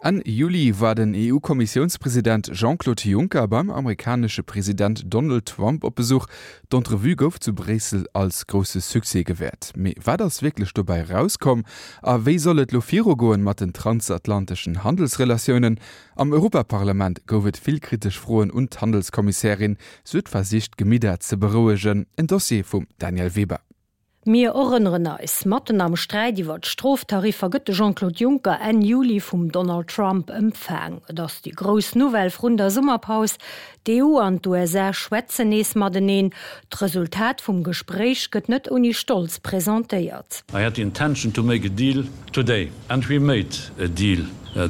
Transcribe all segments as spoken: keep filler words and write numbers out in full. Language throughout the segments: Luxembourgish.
Enn Juli war den E U-Kommissiounspresident Jean-Claude Juncker beim amerikanesche President Donald Trump op Besuch. D'Entrevue gouf zu Bréissel als grousse Succès gewäert. Mee wat ass wierklech dobäi erauskomm? A wéi soll et lo virugoen mat den transatlanteschen Handelsrelatiounen? Am Europaparlament gouf et vill kritesch Froen un d'Handelskommissärin. Si huet versicht d'Gemidder ze berouegen. En Dossier vum Danièle Weber. Mir erënneren eis, Matten am Sträit iwwer d'Stroftariffer gëtt de Jean-Claude Juncker Enn Juli vum Donald Trump empfaang. Et ass déi grouss Nouvelle vrun der Summerpaus, D'E U an d'U S A schwätzen nees mateneen. D'Resultat vum Gespréich gëtt net ouni Stolz presentéiert. I had the intention to make a deal today and we made a deal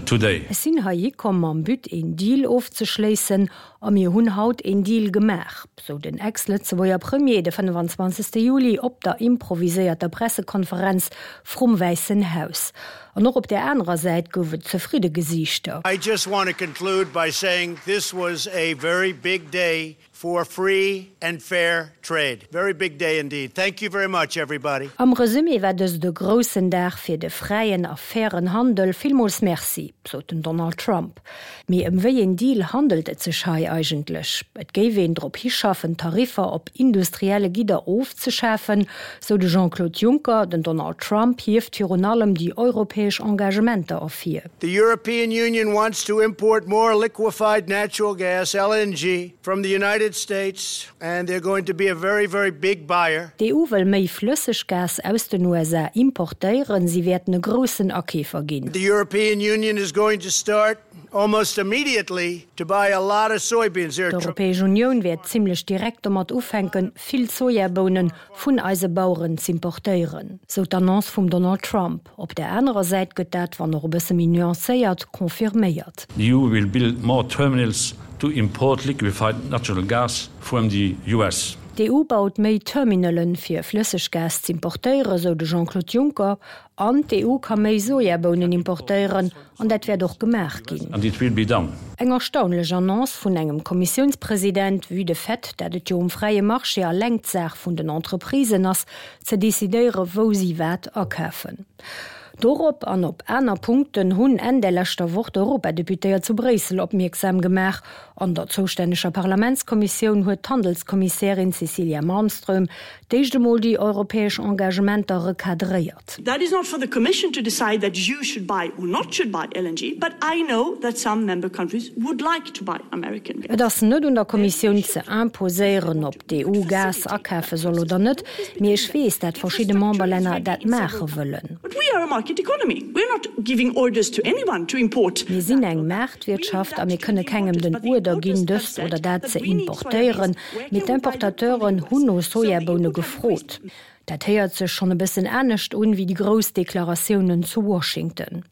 today. Ech sinn heihi komm mam But een Deal ofzeschléissen a mir hunn haut een Deal gemaach, sou den Ex-Lëtzebuerger Premier de fënnefenzwanzegste Juli op der improviséierter Pressekonferenz vrum Wäissen Haus. An och op där anerer Säit gouf et zefridde Gesiichter. I just want to conclude by saying this was a very big day for free and fair trade. Very big day indeed. Thank you very much, everybody. Am Resumé war dëst e groussen Dag fir de fräien a fairen Handel. Villmools Merci, sot den Donald Trump. Mee ëm wéi een Deal handelt et sech hei eigentlech? Et géif een drop hischaffen, Tariffer op industrielle Gidder ofzeschafen, sou de Jean-Claude Juncker. Den Donald Trump hieft virun allem déi europäesch Engagementer ervir. The European Union wants to import more liquefied natural gas, L N G, from the United States, and they're going to be a very, very big buyer. D'E U wëll méi Flësseggas aus den U S A importéieren, si wäerten e groussen Akeefer ginn. The European Union is going to start almost immediately to buy a lot of soybeans. There are D'Europäesch Unioun wäert zimmlech direkt domat ufänken, vill Sojabounen vun eise Baueren z'importéieren, sou d'Annonce vum Donald Trump. Op der anerer Säit gëtt dat, wann och e bësse méi nuancéiert, confirméiert. The E U will build more terminals to import liquefied natural gas from the U S. D'E U baut méi Terminalen, fir Flësseggas z'importéieren, sou de Jean-Claude Juncker. An d'E U ka méi Sojabounen importéieren, an dat wäert och gemaach ginn. And it will be done. Eng erstaunlech Annonce vun engem Kommissiounspresident, vue de fait, dat et jo um fräie Marché alleng d'Saach vun den Entreprisen ass, ze decidéieren, wou si wat akafen. Dorop an op aner Punkten hunn Enn der leschter Woch d'Europadeputéiert zu Bréissel opmierksam gemaach. An der zoustänneger Parlamentskommissioun huet d'Handelskommissärin Cecilia Malmström d'éischt emol déi europäesch Engagementer recadréiert. That is not for the Commission to decide that you should buy or not should buy L N G, but I know that some member countries would like to buy American gas. Et ass net un der Kommissioun ze imposéieren, ob d'E U Gas akafe soll oder net, mee ech weess, dat verschidde Memberlänner dat maache wëllen. But we are a market economy. We're not giving orders to anyone to import. Mir sinn eng Maartwirtschaft a mir kënne kengem den Uerder ginn, dëst oder dat ze importéieren, mee d'Importateuren hunn no Sojaboune gefrot. Dat héiert sech schonn e bëssen anescht un wéi déi grouss Deklaratiounen zu Washington.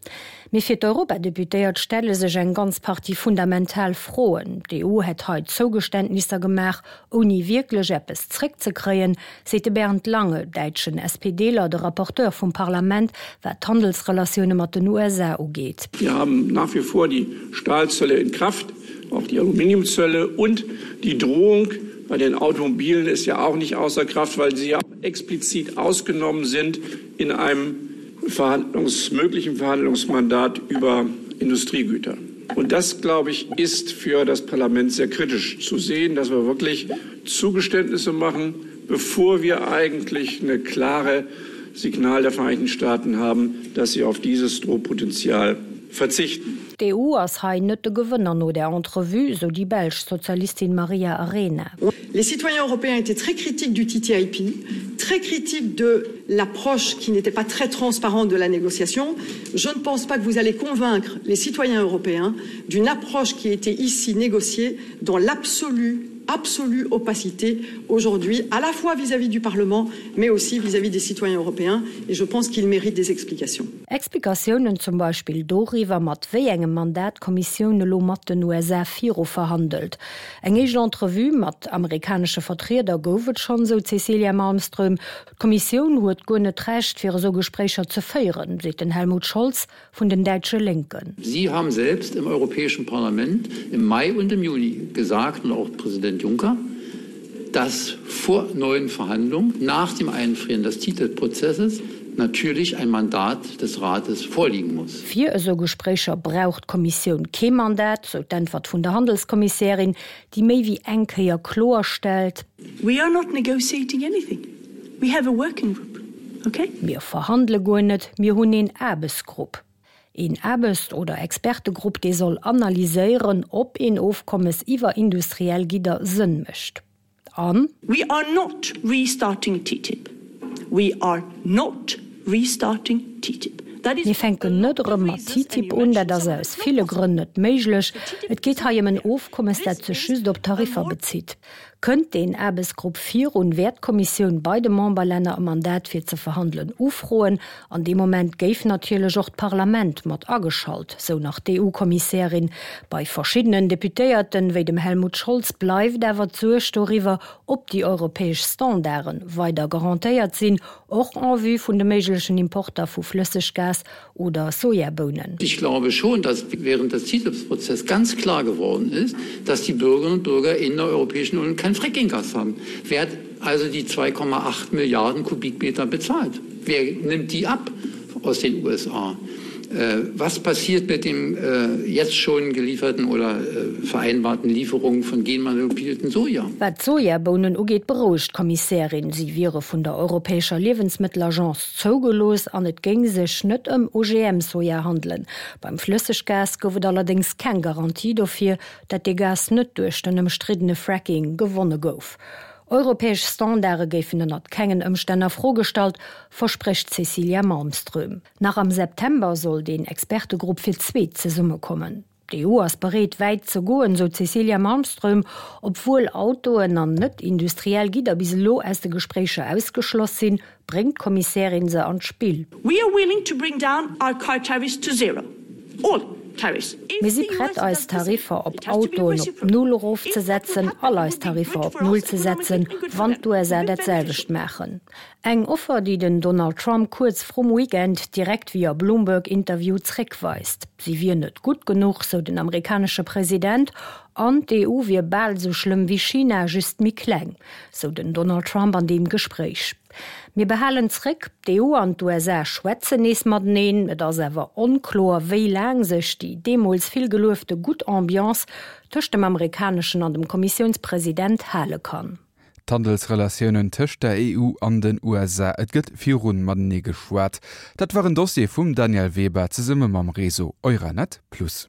Mee fir d'Europadeputéiert stelle sech eng ganz Partie fundamental Froen. D'E U hätt hei Zougeständnisser gemaach, ouni wierklech eppes zréckzekréien, seet de Bernd Lange, däitschen S P D-ler, de Rapporteur vum Parlament, wat d'Handelsrelatioune mat den U S A ugeet. Wir haben nach wie vor die Stahlzölle in Kraft, auch die Aluminiumzölle und die Drohung bei den Automobilen ist ja auch nicht außer Kraft, weil sie ja explizit ausgenommen sind in einem Verhandlungs-, möglichen Verhandlungsmandat über Industriegüter. Und das, glaube ich, ist für das Parlament sehr kritisch zu sehen, dass wir wirklich Zugeständnisse machen, bevor wir eigentlich eine klare Signal der Vereinigten Staaten haben, dass sie auf dieses Drohpotenzial verzichten. D'E U ass hei net de Gewënner no der Entrevue, sou déi belsch Sozialistin Maria Arena. Les citoyens européens étaient très critiques du T T I P, très critiques de l'approche qui n'était pas très transparente de la négociation. Je ne pense pas que vous allez convaincre les citoyens européens d'une approche qui a été ici négociée dans l'absolue, absolue opacité aujourd'hui, à la fois vis-à-vis du Parlement, mais aussi vis-à-vis des citoyens européens. Et je pense qu'ils méritent des explications. Explikatiounen zum Beispill doriwwer, mat wéi engem Mandat d'Kommissioun elo mat den U S A viru verhandelt. Eng éischt Entrevue mat amerikanesche Vertrieder gouf et schonn, sou Cecilia Malmström. D'Kommissioun huet guer net d'Recht, fir esou Gespréicher ze féieren, seet den Helmut Scholz vun den däitsche Linken. Sie haben selbst im Europäischen Parlament im Mai und im Juni gesagt, und auch Präsident Juncker, dass vor neuen Verhandlungen nach dem Einfrieren des T T I P-Prozesses natürlich ein Mandat des Rates vorliegen muss. Fir esou Gespréicher brauch d'Kommissioun kee Mandat, sou d'Äntwert vun der Handelskommissärin, déi méi wéi eng Kéier kloerstellt. We are not negotiating anything. We have a working group. Okay? Mir verhandele guer net, mir hunn een Aarbechtsgrupp. Een Aarbechts oder Expertegrupp, dee soll analyséieren, ob een Ofkommes iwwer industriell Gidder Sënn mécht. An. We are not restarting TTIP. We are not restarting TTIP. Mir fänken net erëm mat TTIP un, dat ass aus ville Grënn net méiglech. Et geet hei ëm en Ofkommes, dat sech just op Tariffer bezitt. Kënnt deen Aarbechtsgrupp virun, wäert d'Kommissioun bei de Memberlänner e Mandat fir ze verhandelen ufroen. An deem Moment géif natierlech och d'Parlament mat ageschalt, sou nach d'EU-Kommissärin. Bei verschiddenen Deputéierten, wéi dem Helmut Scholz, bleift awer d'Suerg doriwwer, ob déi europäesch Standarde weider garantéiert sinn, och en vue vun de méiglechen Importer vu Flësseggas oder Sojabounen. Ich glaube schon, dass während des TTIP-Prozess ganz klar geworden ist, dass die Bürgerinnen und Bürger in der Europäischen Union kein Fracking-Gas haben. Wer hat also die zwei Komma acht Milliarden Kubikmeter bezahlt? Wer nimmt die ab aus den U S A? Was passiert mit dem jetzt schon gelieferten oder vereinbarten Lieferungen von genmanipulierten Soja? Wat d'Sojabounen ugeet, berouegt d'Kommissärin, si wiere vun der Europäescher Liewensmëttelagence zougelooss an et géing sech net ëm O G M-Soja handelen. Beim Flësseggas gouf et allerdéngs keng Garantie dofir, datt dee Gas net duerch den ëmstriddene Fracking gewonne gouf. Europäesch Standarde géifen ënnert kengen Ëmstänn a Fro gestallt, versprécht d'Cecilia Malmström. Nach am September soll deen Expertegrupp fir d'zweet zesummekommen. D'E U ass bereet, wäit ze goen, sou d'Cecilia Malmström, obwuel Autoen an net industriell Gidder bis elo aus de Gespréicher ausgeschloss sinn, bréngt d'Kommissärin se an d'Spill. We are willing to bring down our car tariffs to zero. All tariffs. Mir si prett, eis Tariffer op Autoen op Null erofzesetzen, all eis Tariffer op Null ze setzen, wann d'U S A dat selwecht maachen. Eng Offer, déi den Donald Trump kuerz vrum Weekend direkt via Bloomberg-Interview zréckweist. Si wier net gutt genuch, sou den amerikanesche President, an d'E U wier bal sou schlëmm wéi China, just méi kleng, sou den Donald Trump an deem Gespréich. Mir behalen zréck, d'E U an d'U S A schwätzen nees mateneen, et ass awer onkloer, wéi laang sech déi deemools vill geluefte gutt Ambiance tëscht dem amerikaneschen an dem Kommissiounspresident hale kann. D'Handelsrelatiounen tëscht der E U an den U S A, et gëtt virun matenee geschwat. Dat war en Dossier vum Daniel Weber zesumme mam Réseau Euranet Plus.